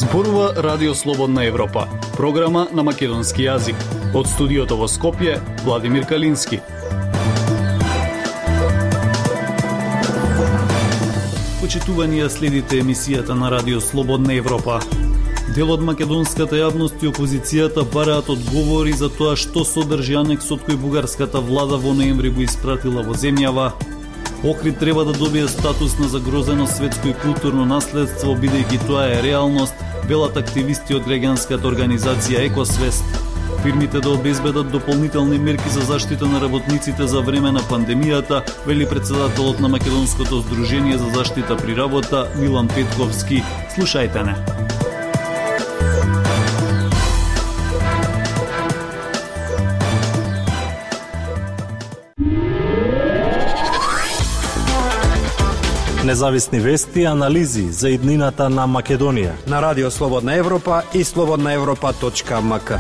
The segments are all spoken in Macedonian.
Зборува Радио Слободна Европа, програма на македонски јазик. Од студиото во Скопје, Владимир Калински. Почитувани, следите емисијата на Радио Слободна Европа. Дел од македонската јавност и опозицијата бараат одговори за тоа што содржи анексот кој бугарската влада во ноември го испратила во земјава. Охрид треба да добие статус на загрозено светско и културно наследство, бидејќи тоа е реалност, велат активисти од граѓанската организација Екосвест. Фирмите да обезбедат дополнителни мерки за заштита на работниците за време на пандемијата, вели претседателот на Македонското здружение за заштита при работа Милан Петковски. Слушајте не. Независни вести и анализи за иднината на Македонија на Радио Слободна Европа и slobodnaevropa.mk.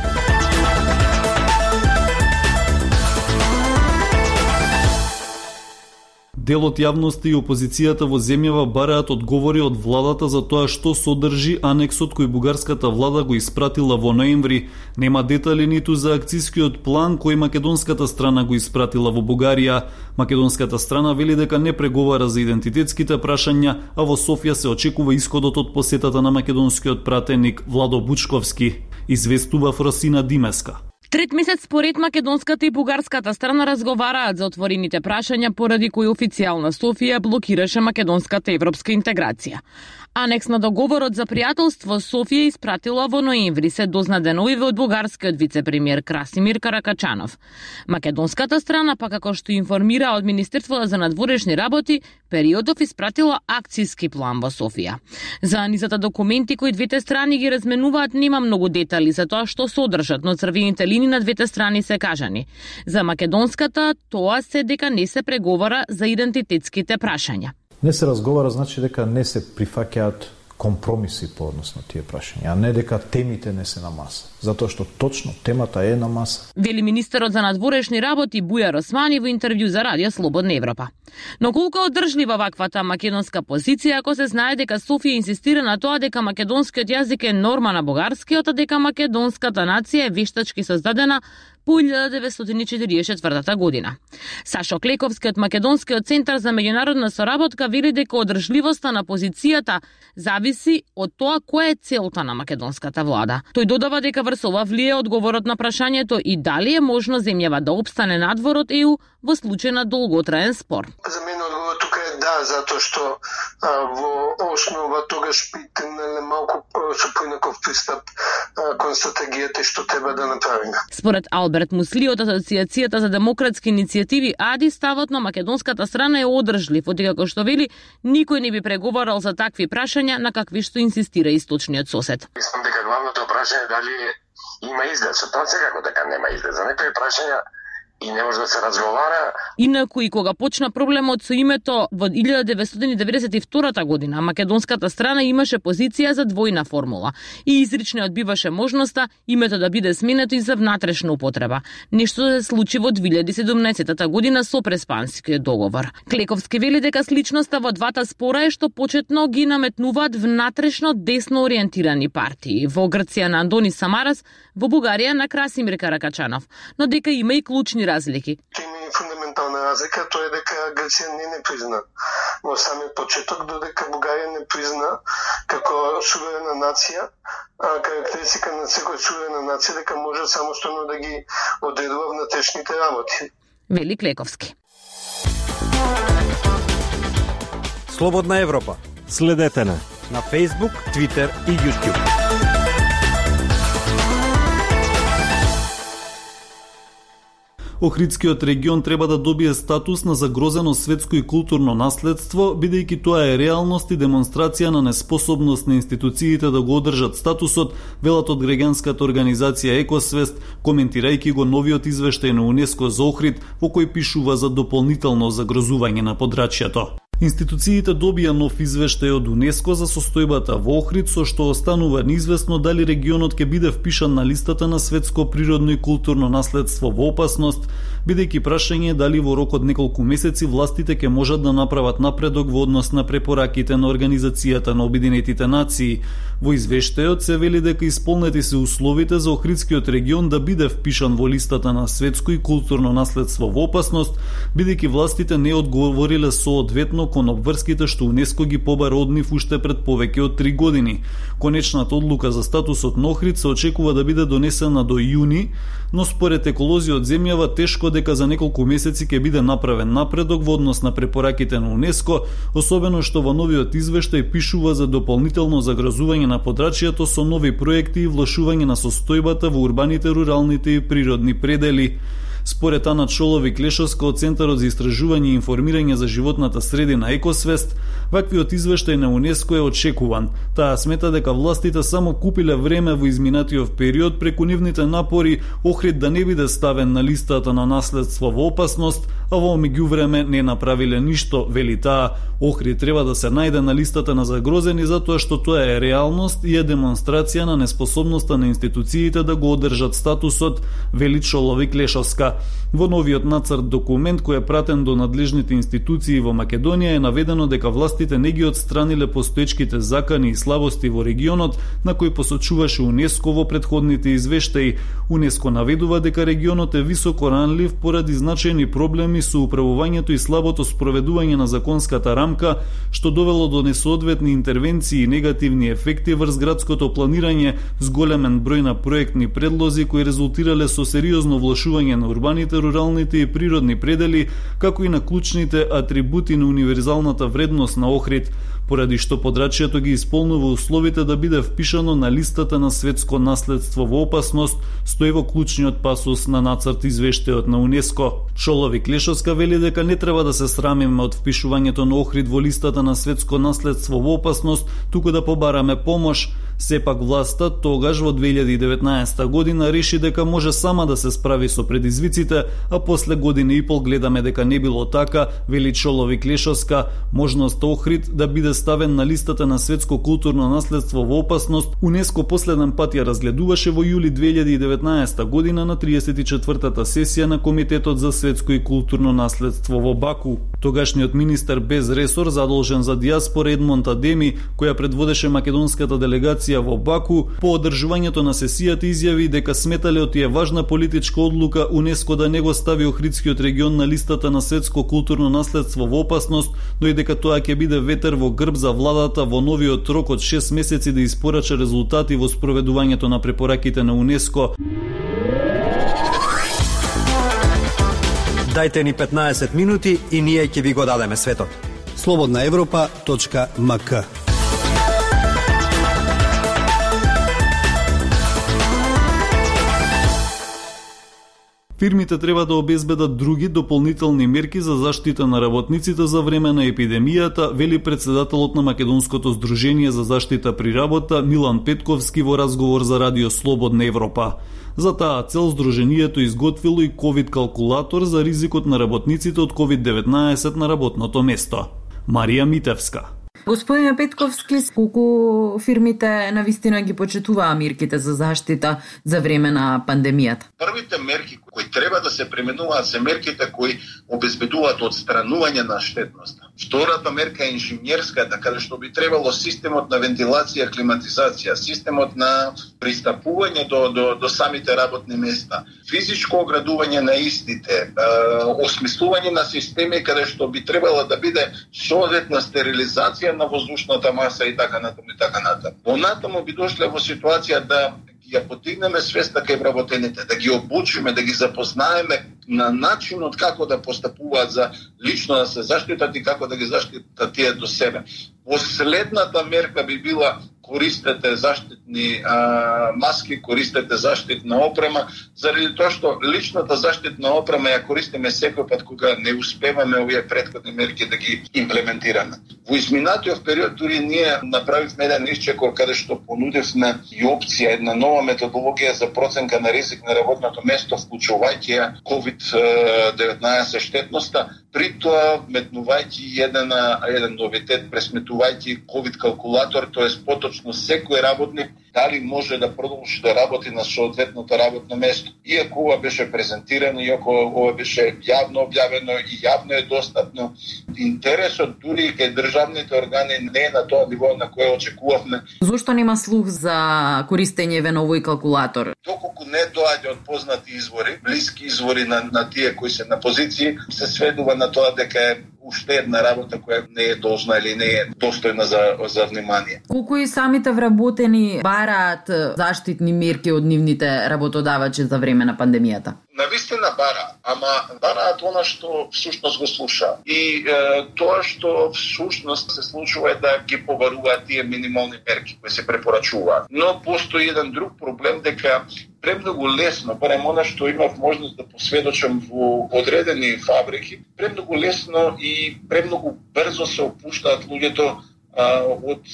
Дел од јавноста и опозицијата во земјава бараат одговори од владата за тоа што содржи анексот кој бугарската влада го испратила во ноември. Нема детали ниту за акцискиот план кој македонската страна го испратила во Бугарија. Македонската страна вели дека не преговара за идентитетските прашања, а во Софија се очекува исходот од посетата на македонскиот пратеник Владо Бучковски, известува Фросина Димеска. Трет месец според македонската и бугарската страна разговараат за отворените прашања поради кои официјална Софија блокираше македонската европска интеграција. Анекс на договорот за пријателство Софија испратила во ноември, се дозна деновиве од бугарскиот вице-премиер Красимир Каракачанов. Македонската страна, па како што информира од Министерството за надворешни работи, периодов испратила акцијски план во Софија. За низата документи кои двете страни ги разменуваат нема многу детали за тоа што содржат, но црвените линии на двете страни се кажани. За македонската тоа се дека не се преговара за идентитетските прашања. Не се разговара, значи дека не се прифаќаат компромиси по однос на тие прашања, а не дека темите не се на маса. Затоа што точно темата е на маса. Вели министерот за надворешни работи Бујар Османи во интервју за Радио Слободна Европа. Но колку одржлива ваквата македонска позиција ако се знае дека Софија инсистира на тоа дека македонскиот јазик е норма на бугарскиот, а дека македонската нација е вештачки создадена по 1944 година. Сашо Клековски од Македонскиот центар за меѓународна соработка вели дека одржливоста на позицијата зависи од тоа која е целта на македонската влада. Тој додава дека врз ова влие одговорот на прашањето и дали е можно земјава да опстане надвор од ЕУ во случај на долготраен спор. За мене одговорот тука е да, затоа што во основа тогаш би тргнале малку со поинаков пристап кон стратегијата што треба да направиме. Според Алберт Мусли од Асоциацијата за демократски иницијативи АДИ, ставот на македонската страна е одржлив, одека што вели никој не би преговарал за такви прашања на какви што инсистира источниот сосед. Мислам дека главното прашање е дали има изглед, со тоа секако дека нема изглед. За некои прашања и не може да се разговара. Инаку и кога почна проблемот со името во 1992 година, македонската страна имаше позиција за двојна формула и изрично одбиваше можноста името да биде сменето и за внатрешна употреба. Нешто се случи во 2017 година со Преспанскиот договор. Клековски вели дека сличноста во двата спора е што почетно ги наметнуваат внатрешно десно ориентирани партии. Во Грција на Андони Самарас, во Бугарија на Красимир Каракачанов, но дека има и клучни разлики. Има и фундаментална разлика, тоа е дека Грција не призна во самиот почеток, додека Бугарија не призна како суверена нација, карактеристика на секоја суверена нација дека може самостојно да ги одредува внатрешните работи. Вели Клековски. Слободна Европа. Следете на Facebook, Twitter и YouTube. Охридскиот регион треба да добие статус на загрозено светско и културно наследство, бидејќи тоа е реалност и демонстрација на неспособност на институциите да го одржат статусот, велат од граѓанската организација Екосвест, коментирајќи го новиот извештај на УНЕСКО за Охрид, во кој пишува за дополнително загрозување на подрачјето. Институциите добија нов извештај од УНЕСКО за состојбата во Охрид, со што останува неизвестно дали регионот ќе биде впишан на листата на светско природно и културно наследство во опасност, бидејќи прашање дали во рок од неколку месеци властите ќе можат да направат напредок во однос на препораките на Организацијата на Обединетите нации. Во извештајот се вели дека исполнети се условите за Охридскиот регион да биде впишан во листата на светско и културно наследство во опасност, бидејќи властите не одговориле соодветно кон обврските што УНЕСКО ги побара од нив уште пред повеќе од 3 години. Конечната одлука за статусот на Охрид се очекува да биде донесена до јуни, но според еколози од земјава тешко дека за неколку месеци ќе биде направен напредок во однос на препораките на УНЕСКО, особено што во новиот извештај пишува за дополнително загрозување на подрачјето со нови проекти и влошување на состојбата во урбаните, руралните и природни предели. Според Ана Чоловик-Лешовска од Центарот за истражување и информирање за животната средина Екосвест, ваквиот извештај на УНЕСКО е очекуван. Таа смета дека властите само купиле време во изминатиот период преку нивните напори Охрид да не биде ставен на листата на наследство во опасност, а во меѓувреме не направиле ништо, вели таа. Охрид треба да се најде на листата на загрозени затоа што тоа е реалност и е демонстрација на неспособноста на институциите да го одржат статусот, вели Чоловик-Лешовска. Во новиот нацрт документ кој е пратен до надлежните институции во Македонија е наведено дека властите не ги отстраниле постоечките закани и слабости во регионот на кои посочуваше УНЕСКО во претходните извештаи. УНЕСКО наведува дека регионот е високо ранлив поради значајни проблеми со управувањето и слабото спроведување на законската рамка, што довело до несоодветни интервенции и негативни ефекти врз градското планирање с големен број на проектни предлози кои резултирале со сериозно влошување на урбаните, руралните и природни предели, како и на клучните атрибути на универзалната вредност на Охрид, поради што подрачјето ги исполнува условите да биде впишано на листата на светско наследство во опасност, стои во клучниот пасус на нацрт извештајот на УНЕСКО. Чоловик-Лешовска вели дека не треба да се срамиме од впишувањето на Охрид во листата на светско наследство во опасност, туку да побараме помош. Сепак власта тогаш во 2019 година реши дека може сама да се справи со предизвиците, а после година и пол гледаме дека не било така, вели Чоловик-Лешовска. Можноста Охрид да биде ставен на листата на светско културно наследство во опасност, УНЕСКО последен пат ја разгледуваше во јули 2019 година на 34-та сесија на Комитетот за светско и културно наследство во Баку. Тогашниот министер без ресор задолжен за дијаспора Едмонд Адеми, која предводеше македонската делегација во Баку, по одржувањето на сесијата изјави дека сметале од тие важна политичка одлука УНЕСКО да не го стави Охридскиот регион на листата на светско културно наследство во опасност, но и дека тоа ќе биде ветер во грб за владата во новиот рок од 6 месеци да испорача резултати во спроведувањето на препораките на УНЕСКО. Дајте ни 15 минути и ние ќе ви го дадеме светот. slobodnaevropa.mk. Фирмите треба да обезбедат други дополнителни мерки за заштита на работниците за време на епидемијата, вели председателот на Македонското здружение за заштита при работа Милан Петковски во разговор за Радио Слободна Европа. За таа цел здруженијето изготвило и ковид калкулатор за ризикот на работниците од COVID-19 на работното место. Марија Митевска. Господине Петковски, колку фирмите навистина ги почитуваа мерките за заштита за време на пандемијата? Првите мерки кои треба да се применуваат се мерките кои обезбедуваат одстранување на штетноста. Втората мерка е инженерска, така што би требало системот на вентилација, климатизација, системот на пристапување до самите работни места, физичко оградување на истите, осмислување на системи каде што би требало да биде соодветна стерилизација на воздушната маса и така натаму и така натаму. Понатаму би дошле во ситуација да ја подигнеме свеста кај вработените, да ги обучиме, да ги запознаеме на начинот како да постапуваат за лично да се заштитат и како да ги заштитат тие до себе. Последната мерка би била користете заштитни маски, користете заштитна опрема, заради тоа што личната заштитна опрема ја користиме секој пат кога не успеваме овие претходни мерки да ги имплементираме. Во изминатиот период дури ние направивме еден исчекор каде што понудивме и опција, една нова методологија за проценка на ризик на работното место, вклучувајќи ја COVID-19 штетноста, при тоа метнувајќи еден новитет, пресметувајќи ковид калкулатор, тоест поточно секој работник дали може да продолжи да работи на соодветното работно место. Иако ова беше презентирано, иако ова беше јавно објавено и јавно е достапно, интересот дури кај државните органи не е на тоа ниво на кое очекувавме. Зошто нема слух за користење на овој калкулатор? Доколку не доаѓа од познати извори, блиски извори на тие кои се на позиции, се сведува на тоа дека е уште една работа која не е должна или не е достојна за внимание. Колку и самите вработени бараат заштитни мерки од нивните работодавачи за време на пандемијата? Навистина бараат она што всушност го слуша. И тоа што всушност се случува е да ги побаруваат тие минимални мерки кои се препорачуваат. Но постои еден друг проблем дека премногу лесно, барем она што имав можност да посведочам во одредени фабрики, премногу лесно и премногу брзо се опуштаат луѓето од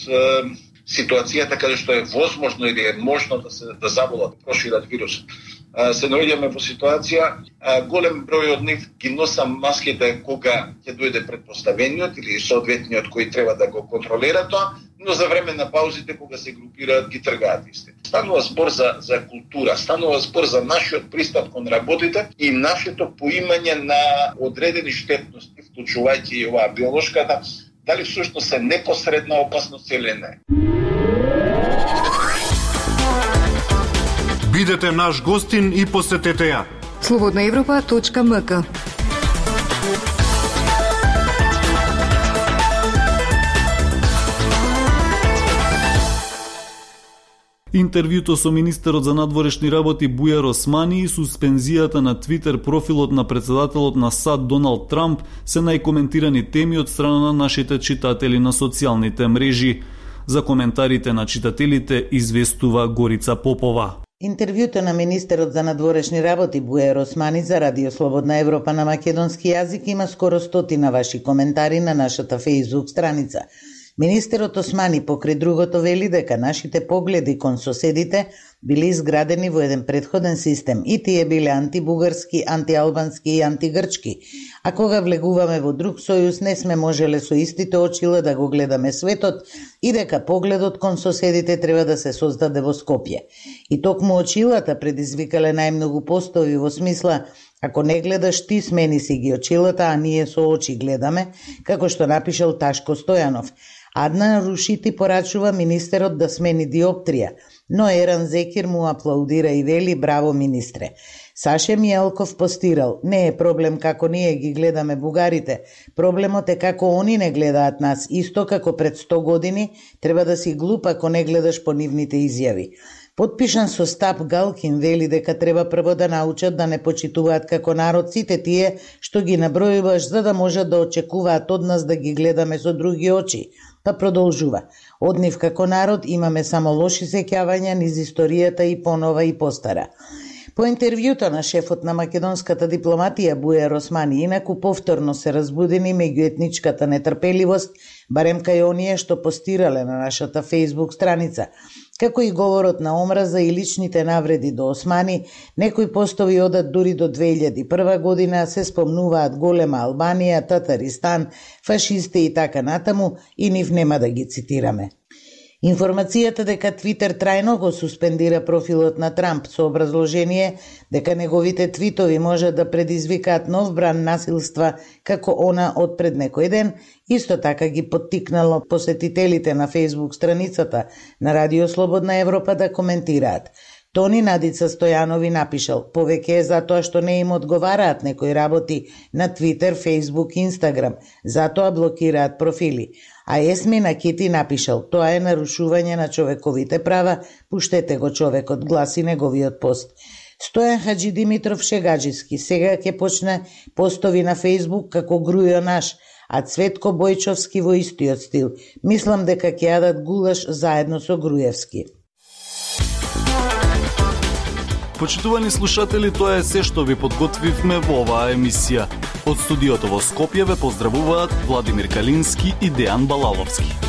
ситуацијата каде што е возможно или е можно да заболат, да прошират вирусот. Се наоѓаме во ситуација, голем број од нив ги носа маските кога ќе дојде претпоставениот или соодветниот кој треба да го контролира тоа, но за време на паузите кога се групираат ги тргаат истите. Станува збор за култура, станува збор за нашиот пристап кон работите и нашето поимање на одредени штетности, вклучувајќи и оваа биолошката, дали всушност се непосредна опасност или не. Бидете наш гостин и посетете ја. slobodnaevropa.mk. Интервјуто со министерот за надворешни работи Бујар Османи и суспензијата на Твитер профилот на председателот на САД Доналд Трамп се најкоментирани теми од страна на нашите читатели на социјалните мрежи. За коментарите на читателите известува Горица Попова. Интервјуто на министерот за надворешни работи Бујар Османи за Радио Слободна Европа на македонски јазик има скоро 100 ваши коментари на нашата Facebook страница. Министерот Османи покрај другото вели дека нашите погледи кон соседите били изградени во еден претходен систем и тие биле антибугарски, антиалбански и антигрчки, а кога влегуваме во друг сојуз не сме можеле со истите очила да го гледаме светот и дека погледот кон соседите треба да се создаде во Скопје. И токму очилата предизвикале најмногу постови во смисла: ако не гледаш ти, смени си ги очилата, а ние со очи гледаме, како што напишал Ташко Стојанов. Адна Рушити порачува министерот да смени диоптрија, но Еран Зекир му аплаудира и вели: браво, министре. Саше Мијалков постирал: не е проблем како ние ги гледаме бугарите, проблемот е како они не гледаат нас, исто како пред 100 години, треба да си глуп ако не гледаш по нивните изјави. Потпишан со Стап Галкин вели дека треба прво да научат да не почитуваат како народ сите тие што ги набројуваш за да можат да очекуваат од нас да ги гледаме со други очи. Па продолжува: од нив како народ имаме само лоши сеќавања низ историјата и понова и постара. По интервјуто на шефот на македонската дипломатија Бујар Османи инаку повторно се разбудени меѓуетничката нетрпеливост, барем кај оние што постирале на нашата Facebook страница. Како и говорот на омраза и личните навреди до Османи, некои постови одат дури до 2001 година, се спомнуваат голема Албанија, Татаристан, фашисти и така натаму, и нив нема да ги цитираме. Информацијата дека Твитер трајно го суспендира профилот на Трамп со образложение дека неговите твитови можат да предизвикаат нов бран насилства како она од пред некој ден, исто така ги поттикнало посетителите на Facebook страницата на Радио Слободна Европа да коментираат. Тони Надица Стојанови напишал: повеќе е затоа што не им одговараат некои работи на Твитер, Facebook, Instagram, затоа блокираат профили. А Есмина Кити напишал: тоа е нарушување на човековите права, пуштете го човекот, гласи неговиот пост. Стојан Хаджи Димитров шегаджиски: сега ќе почне постови на Facebook како Грујо наш, а Цветко Бојчовски во истиот стил. Мислам дека ќе јадат гулаш заедно со Грујевски. Почитувани слушатели, тоа е се што ви подготвивме во оваа емисија. Од студиото во Скопје ве поздравуваат Владимир Калински и Дејан Балаловски.